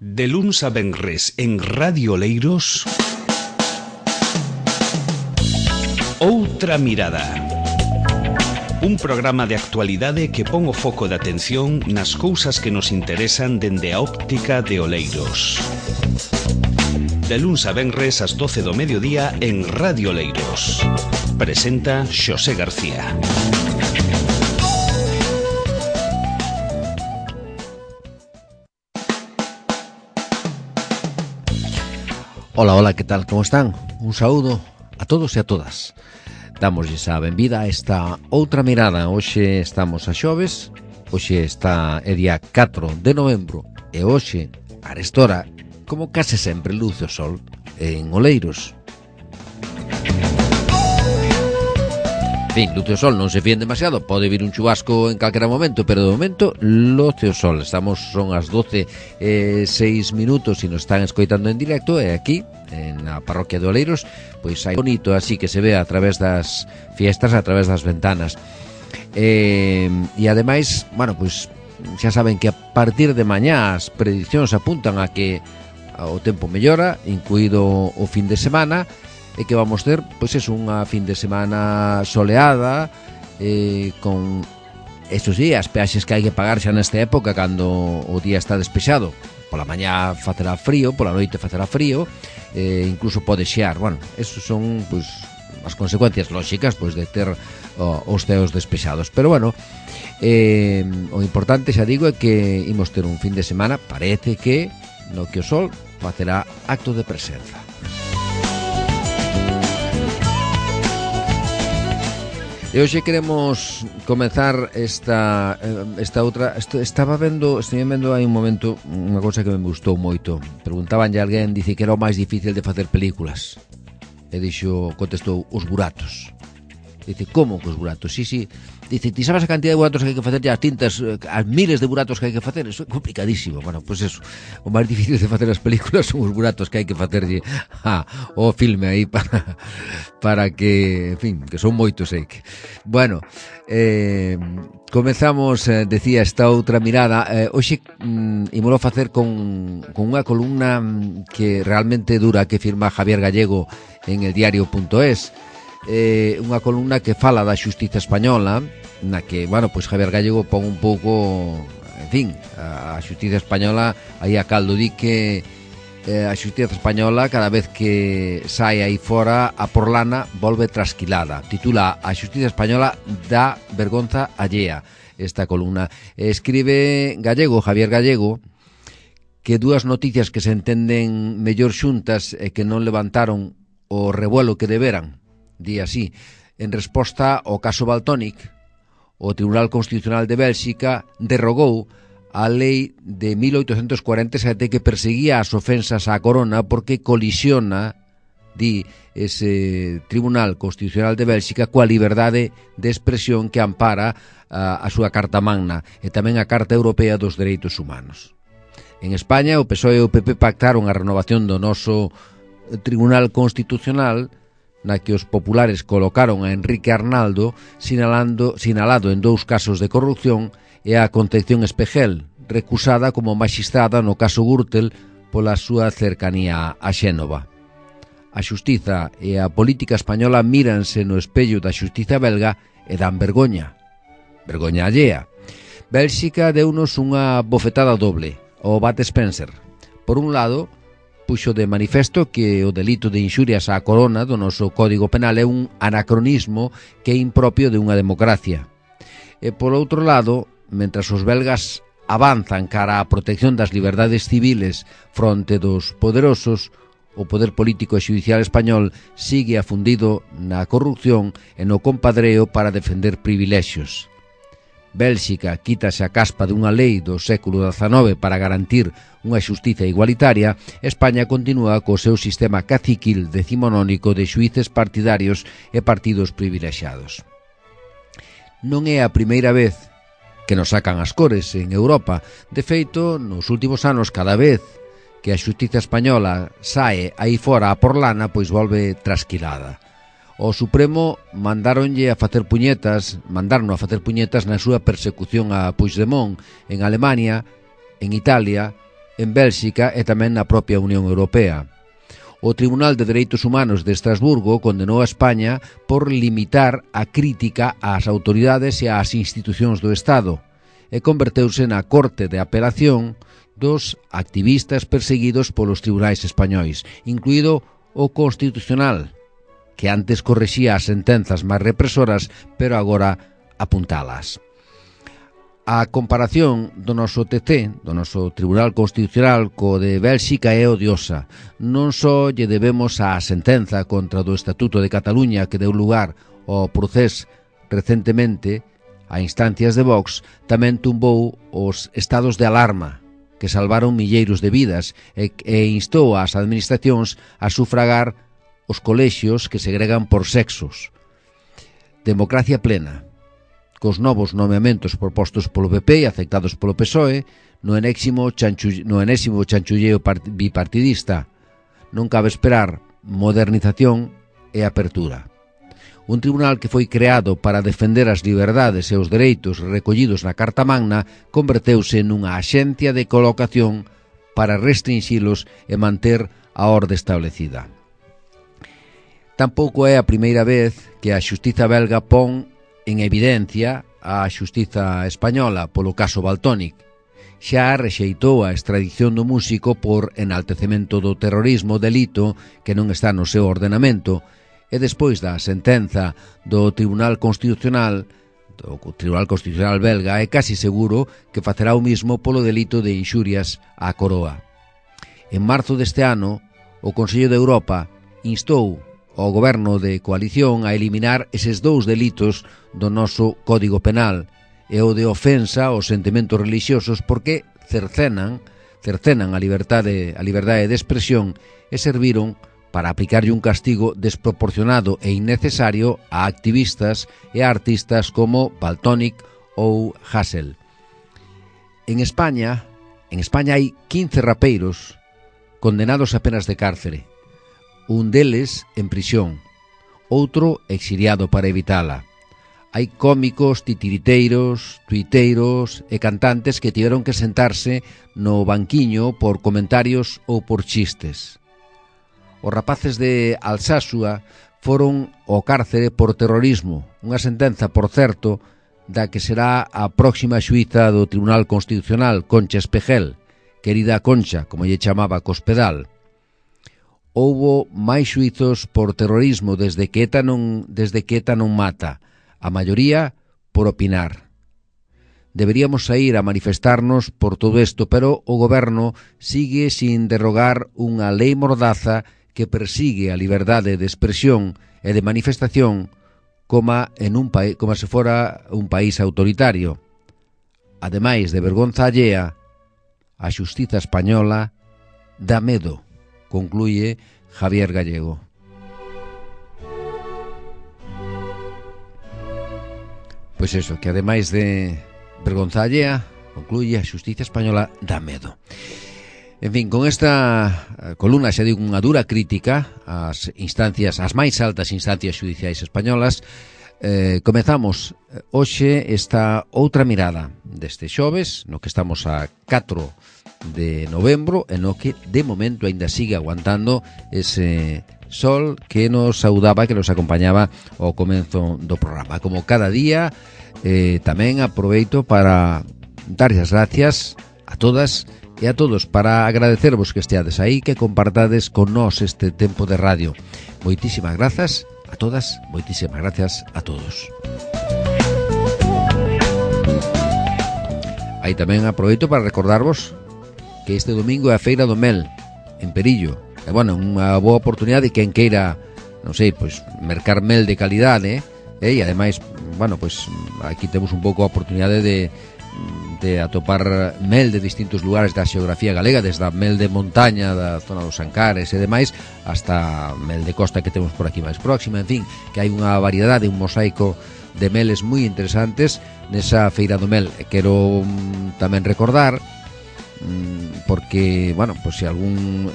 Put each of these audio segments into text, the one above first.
De luns a venres en Radio Oleiros, Outra Mirada. Un programa de actualidade que pon o foco de atención nas cousas que nos interesan dende a óptica de Oleiros. De luns a venres ás 12 do mediodía en Radio Oleiros. Presenta Xosé García. Hola, que tal, como están? Un saúdo a todos e a todas. Damosles a benvida a esta Outra Mirada. Hoxe estamos a xoves, hoxe está é día 4 de novembro e hoxe, a esta hora, como case sempre, luce o sol en Oleiros. En fin, luce o sol, non se fíen demasiado, pode vir un chubasco en calquera momento, pero de momento luce o sol. Son as 12:06 e nos están escoitando en directo, e aquí, na parroquia de Oleiros, pois hai bonito así que se ve a través das fiestas, a través das ventanas. E ademais, bueno, pois xa saben que a partir de mañá as prediccións apuntan a que o tempo mellora, incluído o fin de semana, e que vamos ter, pois é unha fin de semana soleada, con, eso sí, as peaxes que hai que pagar xa nesta época cando o día está despexado. Pola mañá facerá frío, pola noite facerá frío, incluso pode xear. Bueno, esos son, pois, as consecuencias lóxicas, pois, de ter os ceos despexados. Pero bueno, o importante, xa digo, é que imos ter un fin de semana, parece que no que o sol facerá acto de presenza. E hoxe queremos comezar esta outra. Estive vendo hai un momento unha cousa que me gustou moito. Preguntabanlle a alguén, dice que era o máis difícil de facer películas. E contestou, os buratos. Dice, como que os buratos? Sí. Dice, ti sabes a cantidad de buratos que hai que facer as tintas, as miles de buratos que hai que facer? Eso é complicadísimo. Bueno, pois eso, o máis difícil de facer as películas son os buratos que hai que facerlle o filme aí para que, en fin, que son moitos, sei que. Bueno, comezamos, decía, esta outra mirada. Hoxe ímolo facer con unha columna que realmente dura, que firma Javier Gallego en el diario.es. Unha columna que fala da xustiza española, na que, bueno, pois Javier Gallego pon un pouco, en fin, a xustiza española aí a caldo, di que a xustiza española cada vez que sai aí fora a porlana volve trasquilada. Titula A xustiza española dá vergonza allea esta columna. Escribe Gallego, Javier Gallego, que dúas noticias que se entenden mellor xuntas e que non levantaron o revuelo que deberan. Di así, en resposta ao caso Valtónic, o Tribunal Constitucional de Bélxica derrogou a lei de 1847 que perseguía as ofensas á corona porque colisiona, di ese Tribunal Constitucional de Bélxica, coa liberdade de expresión que ampara a súa Carta Magna e tamén a Carta Europea dos Dereitos Humanos. En España, o PSOE e o PP pactaron a renovación do noso Tribunal Constitucional, na que os populares colocaron a Enrique Arnaldo sinalado en 2 casos de corrupción e a Concepción Espejel, recusada como maxistrada no caso Gürtel pola súa cercanía a Xénova. A xustiza e a política española míranse no espello da xustiza belga e dan vergoña allea. Bélxica deunos unha bofetada doble, o Bud Spencer. Por un lado, puxo de manifesto que o delito de inxurias á corona do noso Código Penal é un anacronismo que é impropio de unha democracia. E por outro lado, mentras os belgas avanzan cara á protección das liberdades civiles fronte dos poderosos, o poder político e xudicial español sigue afundido na corrupción e no compadreo para defender privilexios. Bélxica quítase a caspa dunha lei do século XIX para garantir unha xustiza igualitaria. España continúa co seu sistema caciquil decimonónico de xuíces partidarios e partidos privilexiados. Non é a primeira vez que nos sacan as cores en Europa. De feito, nos últimos anos, cada vez que a xustiza española sae aí fora a porlana, pois volve trasquilada. O Supremo mandaron a facer puñetas na súa persecución a Puigdemont en Alemania, en Italia en Bélxica e tamén na propia Unión Europea. O Tribunal de Dereitos Humanos de Estrasburgo condenou a España por limitar a crítica ás autoridades e ás institucións do Estado e converteuse na corte de apelación dos activistas perseguidos polos tribunais españois, incluído o Constitucional, que antes correxía as sentenzas máis represoras, pero agora apuntalas. A comparación do noso TC, do noso Tribunal Constitucional, co de Bélxica é odiosa. Non só lle debemos a sentenza contra do Estatuto de Cataluña que deu lugar ao procés recentemente a instancias de Vox, tamén tumbou os estados de alarma que salvaron milleiros de vidas e instou ás administracións a sufragar os colexios que segregan por sexos. Democracia plena, cos novos nomeamentos propostos polo PP e aceptados polo PSOE no enésimo chanchulleo bipartidista. Non cabe esperar modernización e apertura. Un tribunal que foi creado para defender as liberdades e os dereitos recollidos na Carta Magna converteuse nunha axencia de colocación para restringilos e manter a orde establecida. Tampouco é a primeira vez que a xustiza belga pon en evidencia a xustiza española polo caso Valtónic. Xa rexeitou a extradición do músico por enaltecemento do terrorismo, delito que non está no seu ordenamento, e despois da sentenza do Tribunal Constitucional belga é casi seguro que facerá o mismo polo delito de inxurias á coroa. En marzo deste ano, o Consello de Europa instou ao goberno de coalición a eliminar eses dous delitos do noso Código Penal e o de ofensa aos sentimentos religiosos porque cercenan a liberdade de expresión e serviron para aplicarlle un castigo desproporcionado e innecesario a activistas e a artistas como Valtónic ou Hasél. En España hai 15 rapeiros condenados a penas de cárcere. Un deles en prisión, outro exiliado para evitala. Hai cómicos, titiriteiros, tuiteiros e cantantes que tiveron que sentarse no banquiño por comentarios ou por chistes. Os rapaces de Alsasua foron ao cárcere por terrorismo, unha sentenza, por certo, da que será a próxima xuíza do Tribunal Constitucional, Concha Espejel, querida Concha, como lle chamaba Cospedal. Houbo máis xuizos por terrorismo desde que ETA non mata, a maioría por opinar. Deberíamos sair a manifestarnos por todo isto, pero o goberno sigue sin derrogar unha lei mordaza que persigue a liberdade de expresión e de manifestación como se fora un país autoritario. Ademais de vergonza allea, a xustiza española dá medo, concluye Javier Gallego. Pois eso, que ademais de vergonza allea, concluye, a xustiza española dá medo. En fin, con esta columna xa digo unha dura crítica ás máis altas instancias judiciais españolas. Comezamos hoxe esta outra mirada deste xoves, no que estamos a 4 de novembro, e no que de momento ainda sigue aguantando ese sol que nos saudaba, que nos acompañaba ao comezo do programa. Como cada día, tamén aproveito para darles as gracias a todas e a todos, para agradecervos que esteades aí, que compartades con nós este tempo de radio. Moitísimas grazas a todas, moitísimas gracias a todos. Aí tamén aproveito para recordarvos que este domingo é a Feira do Mel en Perillo. E, bueno, unha boa oportunidade quen queira, non sei, pois, mercar mel de calidade, e ademais, bueno, pois, aquí temos un pouco a oportunidade de atopar mel de distintos lugares da xeografía galega, desde a mel de montaña da zona dos Ancares e demais, hasta mel de costa que temos por aquí máis próxima. En fin, que hai unha variedade, un mosaico de meles moi interesantes nesa Feira do Mel. E quero tamén recordar, porque, bueno, pois se algún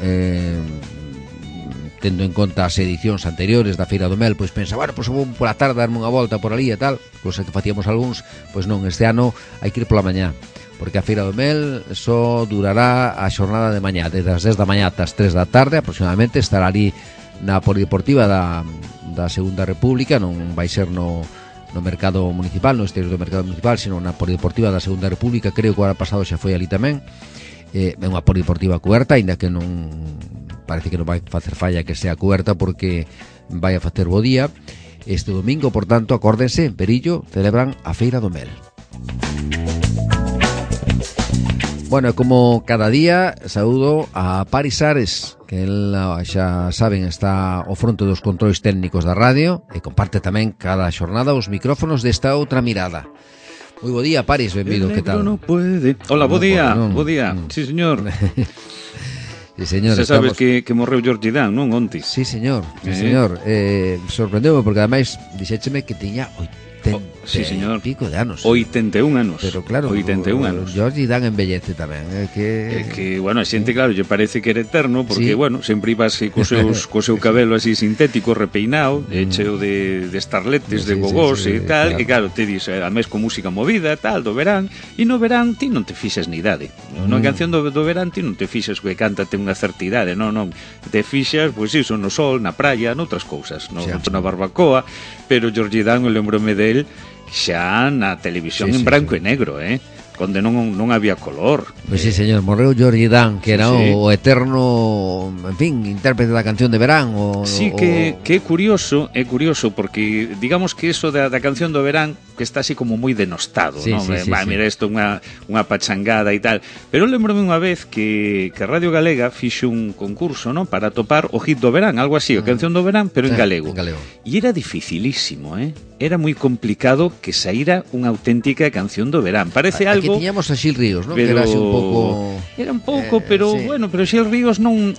tendo en conta as edicións anteriores da Feira do Mel, pois pensa, bueno, pois vou pola tarde darme unha volta por ali e tal, cosa que facíamos algúns, pois non, este ano hai que ir pola mañá, porque a Feira do Mel só durará a xornada de mañá, desde as 10 da mañá ata as 3 da tarde aproximadamente. Estará ali na Polideportiva da Segunda República, non vai ser no mercado municipal, no exterior do mercado municipal, sino na Polideportiva da Segunda República. Creo que o ano pasado xa foi ali tamén. É unha polideportiva cuberta, aínda que non parece que non vai facer falla que sea cuberta, porque vai a facer bo día. Este domingo, por tanto, acórdense, en Perillo celebran a Feira do Mel. Bueno, como cada día, saúdo a Paris Ares, que él, xa saben, está ao fronte dos controis técnicos da radio e comparte tamén cada xornada os micrófonos desta outra mirada. Moi bo día, Paris, benvido, que tal? No puede. Hola, bo día, bo día. Sí, señor. Sí, señor. Se sabes que morreu George Dan, non, onte? Sí, señor, sí, señor. Sorprendeu-me porque ademais dixécheme que tiña 80 sí, señor. Pico de anos. 81 anos. Pero claro, 81 anos. George Dan embellece tamén. Que, bueno, a xente, claro, lle parece que era eterno, porque, Sí. bueno, sempre iba así co seu cabelo así sintético, repeinado, cheo de starletes, de gogós e tal, claro. e claro, te dis, a mes con música movida, tal, do verán, e no verán ti non te fixes ni idade. Na canción do verán ti non te fixes que cántate unha certa idade, non, te fixas, pois iso, no sol, na praia, noutras cousas, na barbacoa, pero George Dan, eu lembrome del xa na televisión en branco e negro, onde non había color. Pois sí, señor, morreu George Dan, que era o eterno, en fin, intérprete da canción de verán. Sí, que é curioso, porque digamos que eso da canción do verán que está así como moi denostado, Sí, non? sí, sí, Mira, isto unha pachangada e tal. Pero lembrome unha vez que Radio Galega fixo un concurso, non, para topar o hit do verán, algo así, a canción do verán, pero en galego. E era dificilísimo, Era moi complicado que saíra unha auténtica canción do verán. Parece algo... Aquí tiñamos a Xil Ríos, non? Pero... Que era así un pouco... Era un pouco, pero sí. bueno, pero Xil Ríos non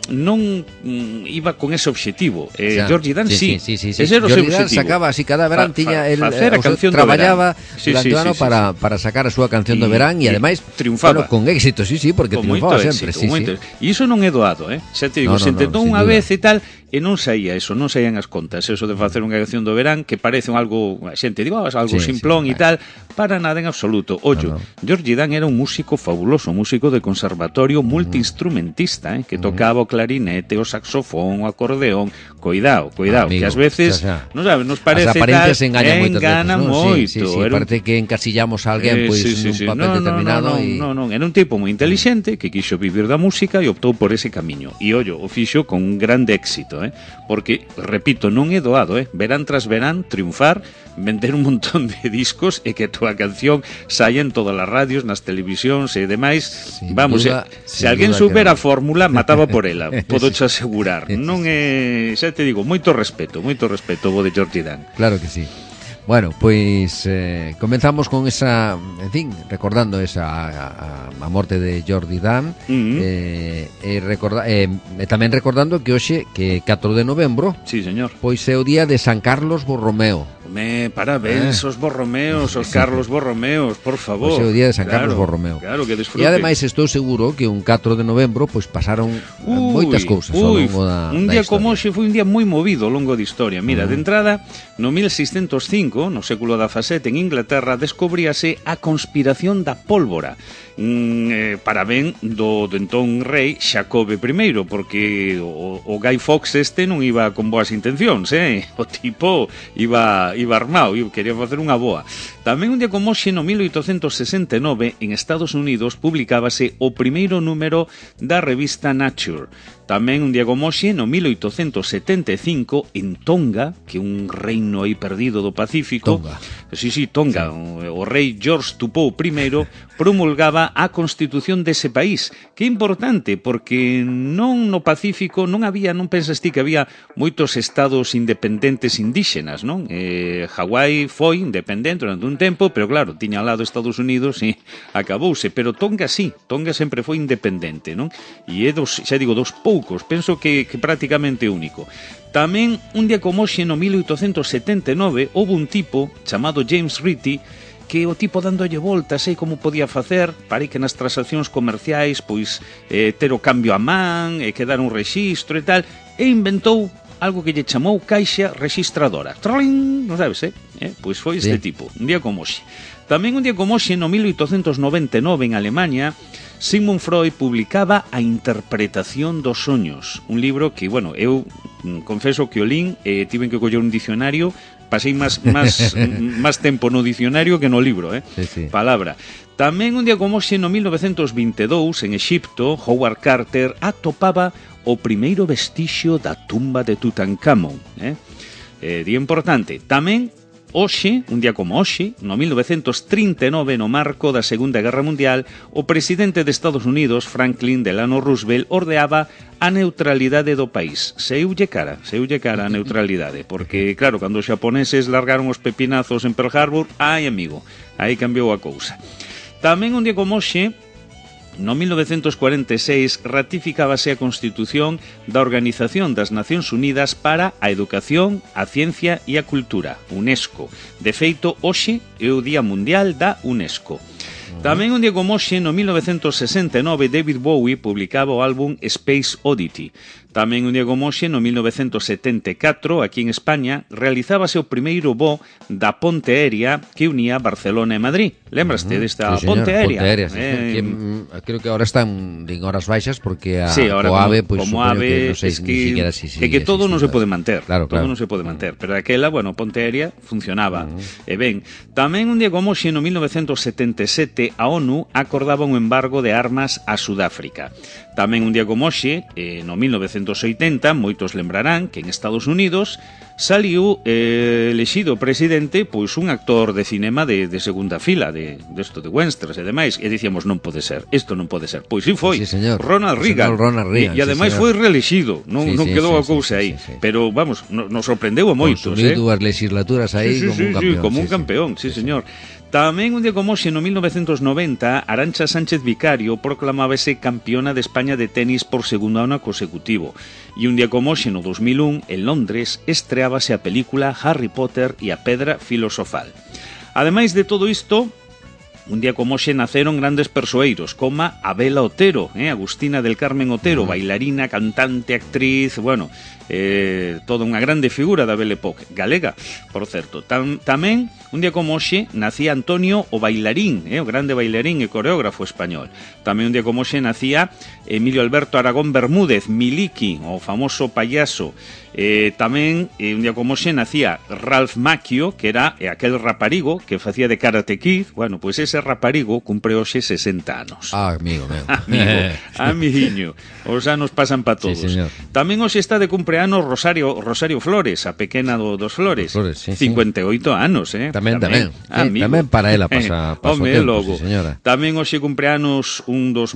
iba con ese objetivo. George Dan sí. Ese era o seu George Dan objetivo. sacaba así cada verán, tiña el facer a canción do traballaba verán. durante o ano para sacar a súa canción do verán e ademais triunfaba. Bueno, con éxito, sí, porque con triunfaba sempre, éxito. E iso non é doado, Xa te digo, se intentou unha vez e tal, e non saía eso, non saían as contas, eso de facer unha canción do verán que parece algo, a xente digo, algo simplón e tal, para nada en absoluto. Ollo, George Dan era un músico fabuloso, un músico de conservatorio multiinstrumentista, que tocaba o clarinete, o saxofón, o acordeón. Cuidado, amigo, que ás veces non sabes, nos parece as apariencias enganan moito. Sí, parece que encasillamos a alguén pois nun papel determinado. Non, era un tipo moi inteligente que quixo vivir da música e optou por ese camiño. E ollo, o fixo con un grande éxito, porque, repito, non é doado, verán tras verán, triunfar, vender un montón de discos e que a túa canción saia en todas as radios, nas televisións e demais. Vamos, se alguén supera a fórmula, mataba por ela, podo te asegurar. Non é, xa te digo, moito respeto o de George Dan. Claro que sí. Bueno, pois comenzamos con esa, en fin, recordando a morte de George Dan, e tamén recordando que hoxe, que 4 de novembro, sí, señor, pois é o día de San Carlos Borromeo. Parabéns os Borromeos, os Carlos Borromeos, por favor. Pois é o día de San Carlos Borromeo. Claro, que disfrute. E ademais estou seguro que un 4 de novembro pois pasaron moitas cousas ao longo da un día historia. como hoxe foi un día moi movido ao longo da historia. Mira, de entrada, no 1605, no século XVII, en Inglaterra, descubríase a conspiración da pólvora. Para ben do entón rei Xacobe I, porque o Guy Fawkes non iba con boas intencións, o tipo iba armado e quería facer unha boa. Tamén un día como hoxe, no 1869, en Estados Unidos publicábase o primeiro número da revista Nature. Tamén un día como hoxe, no 1875, en Tonga, que é un reino aí perdido do Pacífico, Tonga, o rei George Tupou I promulgaba a constitución dese país, que é importante porque non no Pacífico non pensas ti que había moitos estados independentes indígenas, non? Hawái foi independente durante un tempo, pero claro, tiña ao lado Estados Unidos e acabouse, pero Tonga sí, Tonga sempre foi independente, non? E é dos poucos, penso que prácticamente único. Tamén, un día como hoxe, no 1879, houve un tipo chamado James Ritchie, que o tipo dándolle voltas, como podía facer para que nas transaccións comerciais pois ter o cambio a man, que dar un rexistro e tal, e inventou algo que lle chamou caixa rexistradora. Trolling, non sabes, Pois foi este tipo, un día como hoxe. Tamén un día como hoxe, no 1899, en Alemania, Sigmund Freud publicaba A interpretación dos soños, un libro que, bueno, eu confeso que o lín, tiven que coller un dicionario, pasei máis tempo no dicionario que no libro, Sí. Palabra. Tamén un día como hoxe, no 1922, en Exipto, Howard Carter atopaba o primeiro vestixio da tumba de Tutankamón, día importante. Tamén hoxe, un día como hoxe, no 1939, no marco da Segunda Guerra Mundial, o presidente de Estados Unidos, Franklin Delano Roosevelt, ordeaba a neutralidade do país. Seulle cara a neutralidade, porque, claro, cando os xaponeses largaron os pepinazos en Pearl Harbor, ai, amigo, aí cambiou a cousa. Tamén un día como hoxe, no 1946, ratificábase a Constitución da Organización das Nacións Unidas para a Educación, a Ciencia e a Cultura, UNESCO. De feito, hoxe é o Día Mundial da UNESCO. Tamén un día como hoxe, no 1969, David Bowie publicaba o álbum Space Oddity. Tamén un día como hoxe, no 1974, aquí en España, realizábase o primeiro voo da ponte aérea que unía Barcelona e Madrid. Lembraste desta ponte aérea? Ponte aérea, creo que ahora están en horas baixas porque ahora o AVE, pues, como AVE, que, no sei, es que todo non se pode manter. Claro. Todo non se pode manter, pero aquela, bueno, ponte aérea funcionaba. E ben, tamén un día como hoxe, no 1977, a ONU acordaba un embargo de armas a Sudáfrica. Tamén un día como hoxe, no 1980, moitos lembrarán que en Estados Unidos saliu elexido presidente pois un actor de cinema de segunda fila, de Westerns e demais, e dicíamos, non pode ser, isto non pode ser. Pois sí foi, sí, Ronald Reagan, e ademais foi reelexido, non quedou a cousa aí, pero vamos, nos sorprendeu a moitos. Consumiu dúas legislaturas aí como un campeón, sí, señor. Tamén un día como hoxe, no 1990, Arantxa Sánchez Vicario proclamábase campeona de España de tenis por segundo ano consecutivo. E un día como hoxe, no 2001, en Londres, estreábase a película Harry Potter e a Pedra Filosofal. Ademais de todo isto, un día como hoxe naceron grandes persoeiros, como Abela Otero, Agustina del Carmen Otero, bailarina, cantante, actriz, bueno, toda unha grande figura da Belle Époque, galega, por certo. Tamén, un día como hoxe, nacía Antonio o bailarín, o grande bailarín e coreógrafo español. Tamén un día como hoxe nacía Emilio Alberto Aragón Bermúdez, Miliki, o famoso payaso. Tamén, un día como hoxe, nacía Ralph Macchio, que era aquel raparigo que facía de Karate Kid. Bueno, pois ese raparigo cumpre hoxe 60 anos. Amigo meu. Amiguiño. Os anos pasan pa todos. Sí, tamén hoxe está de cumpleanos Rosario Flores, a pequena dos Flores. 58 anos, Tamén. Tamén para ela pasa o tempo, logo. Sí, señora. Tamén hoxe cumpleanos un dos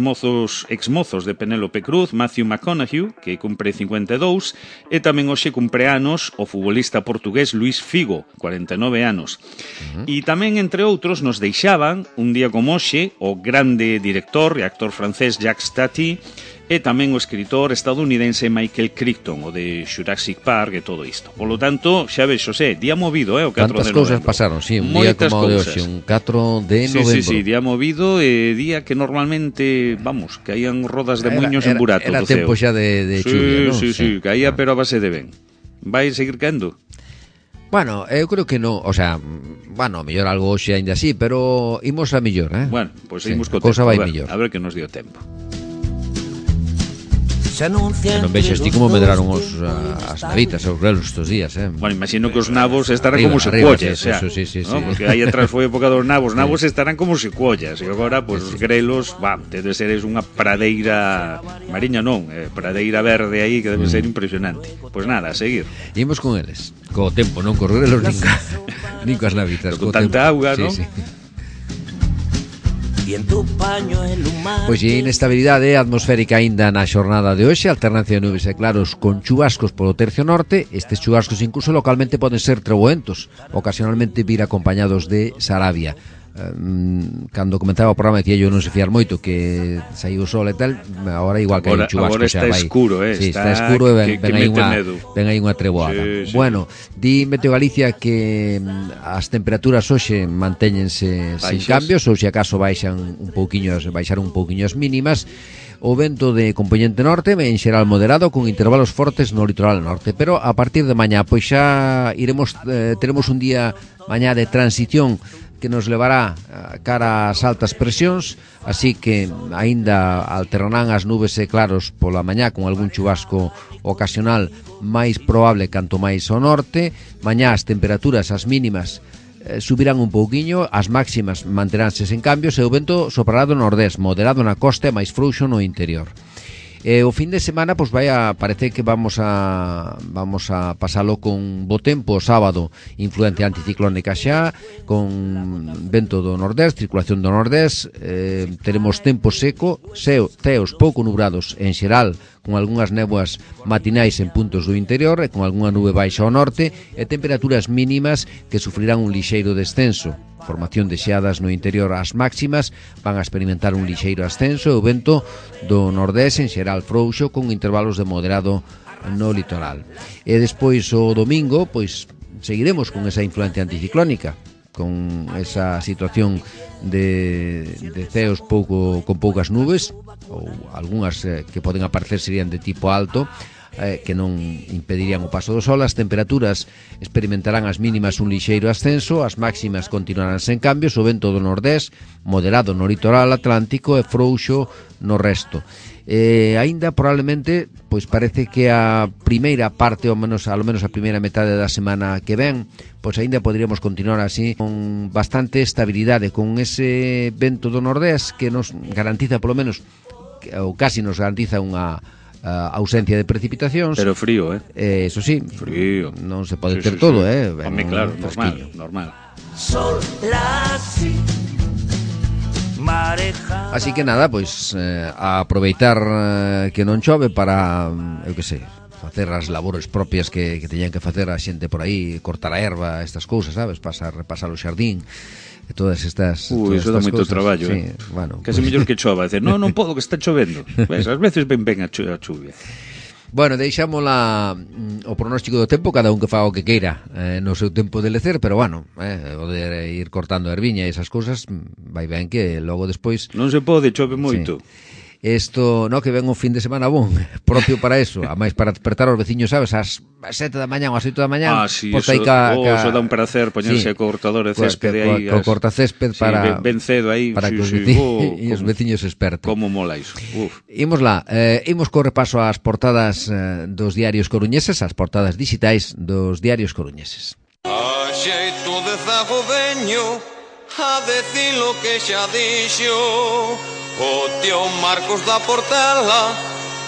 exmozos de Penélope Cruz, Matthew McConaughey, que cumpre 52, e tamén hoxe cumpleanos o futbolista portugués Luís Figo, 49 anos. E tamén, entre outros, nos deixaban un día como hoxe o grande director e actor francés Jacques Tati, e tamén o escritor estadounidense Michael Crichton, o de Jurassic Park e todo isto. Por lo tanto, xa ves, Xosé, día movido, o 4 de novembro. Tantas cousas pasaron, sí, un día como o de hoxe, un 4 de novembro. Sí, día movido e día que normalmente, vamos, caían rodas de muiños en burato do ceo. Era tempo xa de chuvia, non? Sí, caía pero a base de ben. Vai seguir caendo? Bueno, eu creo que non, o sea, bueno, mellor algo hoxe ainda así, pero imos a mellor, Bueno, pois seguimos co tempo, vai mellor. A ver que nos dio tempo. Non vexas ti como medraron as navitas, os grelos estos días, Bueno, imagino que os nabos estarán como secuollas, sí. Porque aí atrás foi época dos nabos estarán como secuollas, e agora, pois, os grelos, debe ser unha pradeira mariña, non, pradeira verde aí que debe ser impresionante. Pois nada, a seguir. Imos con eles, co tempo, non cos grelos, nin coas navitas, con tanta auga, non? Sí. Pois e inestabilidade atmosférica aínda na xornada de hoxe, alternancia de nubes e claros con chubascos polo tercio norte. Estes chubascos incluso localmente poden ser treboentos, ocasionalmente vir acompañados de sarabia. Cando comentaba o programa decía yo non se fiar moito que saiu o sol e tal, agora igual que hai un chubasco. Agora está escuro, está escuro e ven aí unha treboada. Sí. Bueno, di Meteo Galicia que as temperaturas hoxe mantéñense sin cambios, ou se acaso baixaron un pouquiño as mínimas. o vento de componente norte en xeral moderado con intervalos fortes no litoral norte, pero a partir de mañá pois xa teremos un día mañá de transición que nos levará cara ás altas presións, así que aínda alternarán as nubes e claros pola mañá con algún chubasco ocasional máis probable canto máis ao norte. Mañá as temperaturas, as mínimas, subirán un pouquiño, as máximas manteránse sen cambios e o vento soprará do nordés, moderado na costa e máis frouxo no interior. O fin de semana pois parece que vamos a pasalo con bo tempo o sábado, influencia anticiclónica xa, con vento do nordés, circulación do nordés, teremos tempo seco, ceos pouco nubrados en xeral, con algunhas néboas matinais en puntos do interior e con algunha nube baixa ao norte, e temperaturas mínimas que sufrirán un lixeiro descenso. Formación de xeadas no interior. As máximas van a experimentar un lixeiro ascenso e o vento do nordés en xeral frouxo con intervalos de moderado no litoral. E despois o domingo pois seguiremos con esa influencia anticiclónica, con esa situación de ceos con poucas nubes, ou algunhas que poden aparecer serían de tipo alto, que non impedirían o paso do sol. As temperaturas experimentarán as mínimas un lixeiro ascenso, as máximas continuarán sen cambios, o vento do nordés moderado no litoral atlántico e frouxo no resto. Aínda probablemente pois parece que a primeira parte, ao menos a primeira metade da semana que ven, pois aínda poderíamos continuar así con bastante estabilidade, con ese vento do nordés que nos garantiza polo menos, ou casi nos garantiza unha ausencia de precipitacións. Pero frío, eso sí, frío. Non se pode ter todo, Home, claro, normal. Así que nada, pois a aproveitar que non chove para, eu que sei, facer as labores propias que teñan que facer a xente por aí, cortar a erva, estas cousas, sabes, repasar o xardín, e todas estas iso dá moito traballo, sí, bueno, casi mellor que chova, dicer, non podo que está chovendo. Pues, ás veces ben a chuvia. Bueno, deixámola o pronóstico do tempo, cada un que faga o que queira no seu tempo de lecer, pero bueno, o de ir cortando a erviña e esas cousas vai ben que logo despois non se pode, chove moito. Sí. Isto, no, que ven un fin de semana bon, propio para eso, a máis para despertar os veciños, sabes, ás 7 da mañá ou ás 8 da mañá. Sí, eso dá un prazer poñerse co cortador de céspede aí. Co cortacésped para ben cedo aí, para que os veciños esperten. Como mola iso. Imos lá, imos co repaso ás portadas dos diarios coruñeses, as portadas digitais dos diarios coruñeses. A xeito de zagodeño, a decir lo que xa dixo o tío Marcos da Portela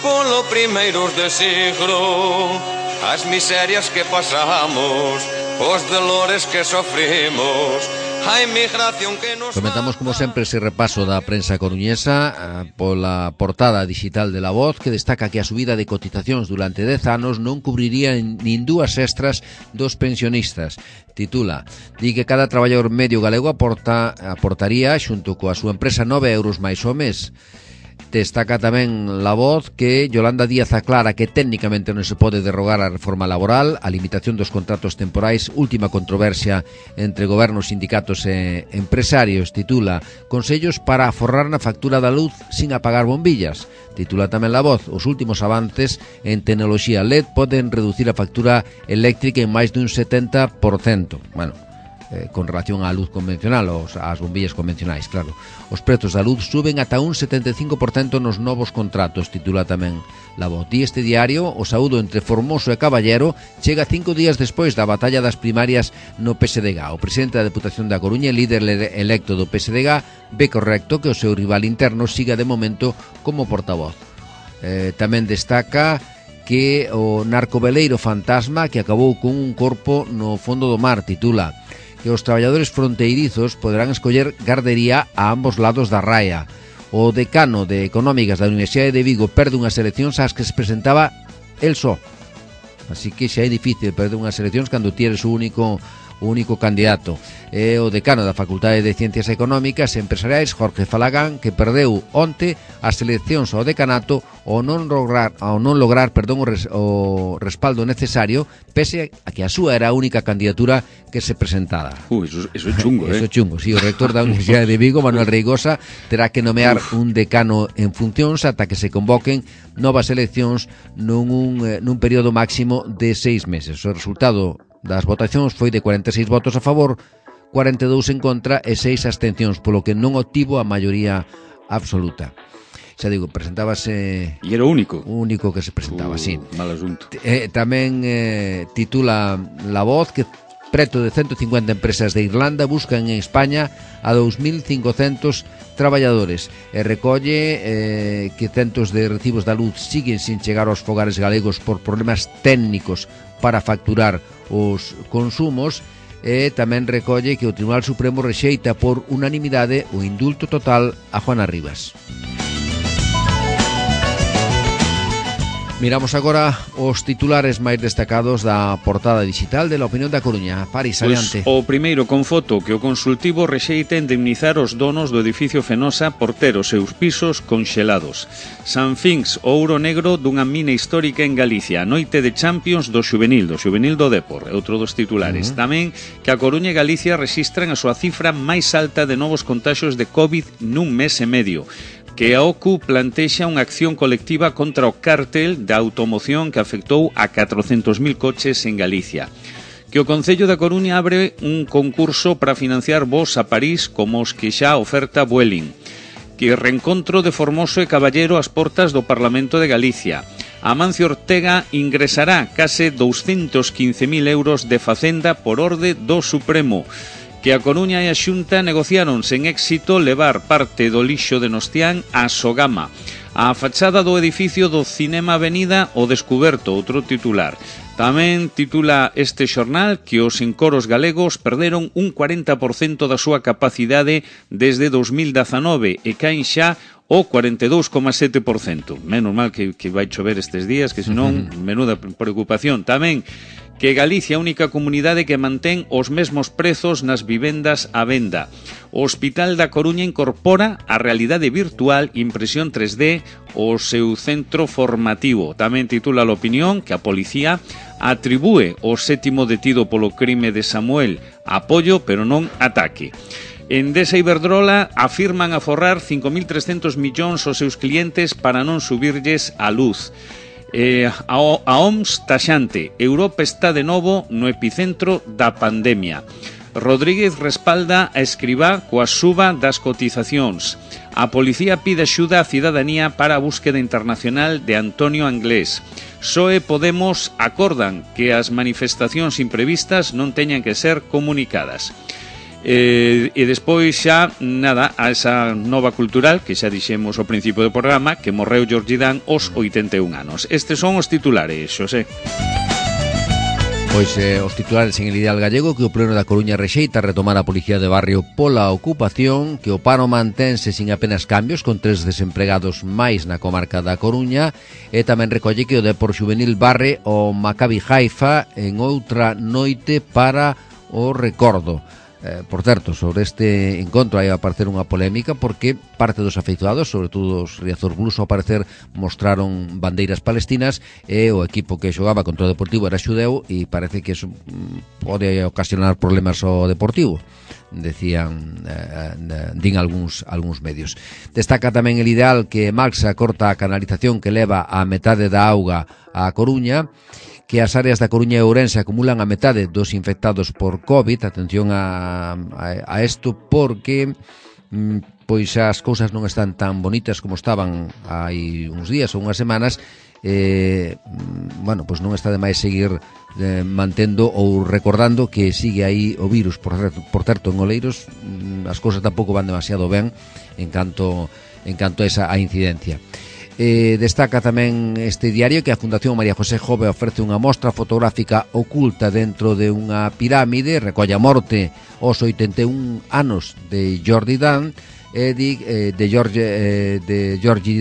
polo primeiros de siglo. As miserias que pasamos, os dolores que sofrimos, a inmigración que nos... Comentamos como sempre ese repaso da prensa coruñesa pola portada digital de La Voz, que destaca que a subida de cotizacións durante 10 anos non cubriría nin dúas extras dos pensionistas. Titula, di que cada traballador medio galego aportaría xunto coa súa empresa 9 euros máis ao mes. Destaca tamén La Voz que Yolanda Díaz aclara que técnicamente non se pode derrogar a reforma laboral, a limitación dos contratos temporais, última controversia entre gobernos, sindicatos e empresarios. Titula, consellos para aforrar na factura da luz sin apagar bombillas. Titula tamén La Voz, os últimos avances en tecnoloxía LED poden reducir a factura eléctrica en máis dun 70%. Bueno, con relación á luz convencional, ás bombillas convencionais, claro. Os prezos da luz suben ata un 75% nos novos contratos, titula tamén La Voz. Di este diario, o saúdo entre Formoso e Caballero chega 5 días despois da batalla das primarias no PSDG. O presidente da Deputación da Coruña, líder electo do PSDG, ve correcto que o seu rival interno siga de momento como portavoz. Tamén destaca que o narcoveleiro fantasma que acabou con un corpo no fondo do mar, titula que os traballadores fronteirizos poderán escoller gardería a ambos lados da raia. O decano de Económicas da Universidade de Vigo perde unhas eleccións ás que se presentaba el só. Así que xa é difícil perder unhas eleccións cando tienes o único o único candidato é o decano da Facultade de Ciencias Económicas e Empresariais, Jorge Falagán, que perdeu onte as eleccións ao decanato ao non lograr o respaldo necesario, pese a que a súa era a única candidatura que se presentara. Eso é chungo, Eso é chungo, sí, o rector da Universidade de Vigo, Manuel Reigosa, terá que nomear un decano en funcións ata que se convoquen novas eleccións nun período máximo de 6 meses. O resultado das votacións foi de 46 votos a favor, 42 en contra e 6 abstencións, polo que non obtivo a maioría absoluta. Xa digo, presentábase... E era o único? O único que se presentaba, sí. Mal asunto. Tamén titula La Voz que preto de 150 empresas de Irlanda buscan en España a 2.500 traballadores e recolle que centos de recibos da luz siguen sin chegar aos fogares galegos por problemas técnicos para facturar os consumos. E tamén recolle que o Tribunal Supremo rexeita por unanimidade o indulto total a Juana Rivas. Miramos agora os titulares máis destacados da portada digital de La Opinión da Coruña. Paris, adiante. O primeiro con foto que o consultivo rexeita indemnizar os donos do edificio Fenosa por ter os seus pisos conxelados. San Finx, o ouro negro dunha mina histórica en Galicia. A noite de Champions do Xuvenil do Depor, é outro dos titulares. Tamén que a Coruña e Galicia rexistran a súa cifra máis alta de novos contaxios de COVID nun mes e medio. Que a OCU plantexa unha acción colectiva contra o cártel da automoción que afectou a 400.000 coches en Galicia. Que o Concello da Coruña abre un concurso para financiar voos a París como os que xa oferta Vueling. Que reencontro de Formoso e Caballero ás portas do Parlamento de Galicia. Amancio Ortega ingresará case 215.000 euros de Facenda por orde do Supremo. Que a Coruña e a Xunta negociaron sen éxito levar parte do lixo de Nostián a Sogama. A fachada do edificio do Cinema Avenida o descuberto, outro titular. Tamén titula este xornal que os encoros galegos perderon un 40% da súa capacidade desde 2019 e caen xa o 42,7%. Menos mal que vai chover estes días, que senón menuda preocupación. Tamén que Galicia é a única comunidade que mantén os mesmos prezos nas vivendas á venda. O Hospital da Coruña incorpora a realidade virtual impresión 3D ao seu centro formativo. Tamén titula a Opinión que a policía atribúe o 7º detido polo crime de Samuel apoio pero non ataque. Endesa e Iberdrola afirman aforrar 5.300 millóns aos seus clientes para non subirlles a luz. A OMS taxante, Europa está de novo no epicentro da pandemia. Rodríguez respalda a Escribá coa suba das cotizacións. A policía pide axuda á cidadanía para a búsqueda internacional de Antonio Anglés. PSOE e Podemos acordan que as manifestacións imprevistas non teñan que ser comunicadas. E despois xa, nada, a esa nova cultural que xa dixemos ao principio do programa, que morreu Jordi Dan aos 81 anos. Estes son os titulares, Xosé. Pois os titulares en el Ideal Gallego, que o Pleno da Coruña rexeita retomar a Policía de Barrio pola ocupación, que o paro mantense sin apenas cambios con 3 desempregados máis na comarca da Coruña, e tamén recolle que o Depor Xuvenil barre o Maccabi Haifa en outra noite para o recordo. Por certo, sobre este encontro hai a aparecer unha polémica porque parte dos afeiçoados, sobre todo os Riazor Blues, ao parecer mostraron bandeiras palestinas e o equipo que xogaba contra o Deportivo era xudeu e parece que eso pode ocasionar problemas ao Deportivo, decían, din algúns medios. Destaca tamén el Ideal que Maxa corta a canalización que leva a metade da auga á Coruña, que as áreas da Coruña e Ourense acumulan a metade dos infectados por COVID. Atención a isto porque pois as cousas non están tan bonitas como estaban hai uns días ou unhas semanas. Bueno, pois non está de máis seguir mantendo ou recordando que sigue aí o virus. Por certo, en Oleiros as cousas tampouco van demasiado ben en canto a esa incidencia. Destaca tamén este diario que a Fundación María José Jove ofrece unha mostra fotográfica oculta dentro de unha pirámide, recolle a morte aos 81 anos de Jordi Dan, de Georgie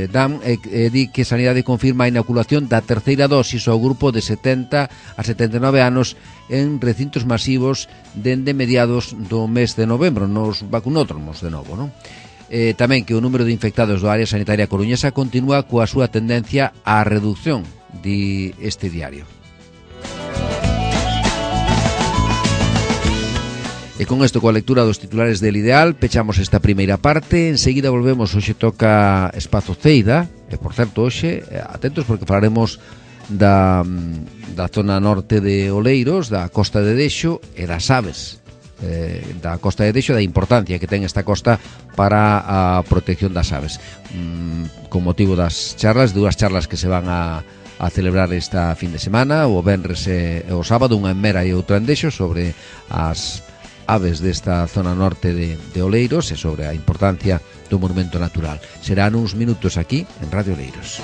Dam, di que Sanidade confirma a inoculación da terceira dosis ao grupo de 70 a 79 anos en recintos masivos dende mediados do mes de novembro, nos vacunódromos de novo, non? Tamén que o número de infectados do área sanitaria coruñesa continúa coa súa tendencia á reducción, di este diario. E con isto, coa lectura dos titulares del Ideal, pechamos esta primeira parte. Enseguida volvemos, hoxe toca Espazo Ceida, e por certo, hoxe, atentos porque falaremos da zona norte de Oleiros, da Costa de Dexo e das aves da Costa de Dexo, da importancia que ten esta costa para a protección das aves, con motivo das charlas, dúas charlas que se van a celebrar esta fin de semana, o venres e o sábado, unha en Mera e outra en Dexo, sobre as aves desta zona norte de Oleiros e sobre a importancia do monumento natural. Serán uns minutos aquí en Radio Oleiros.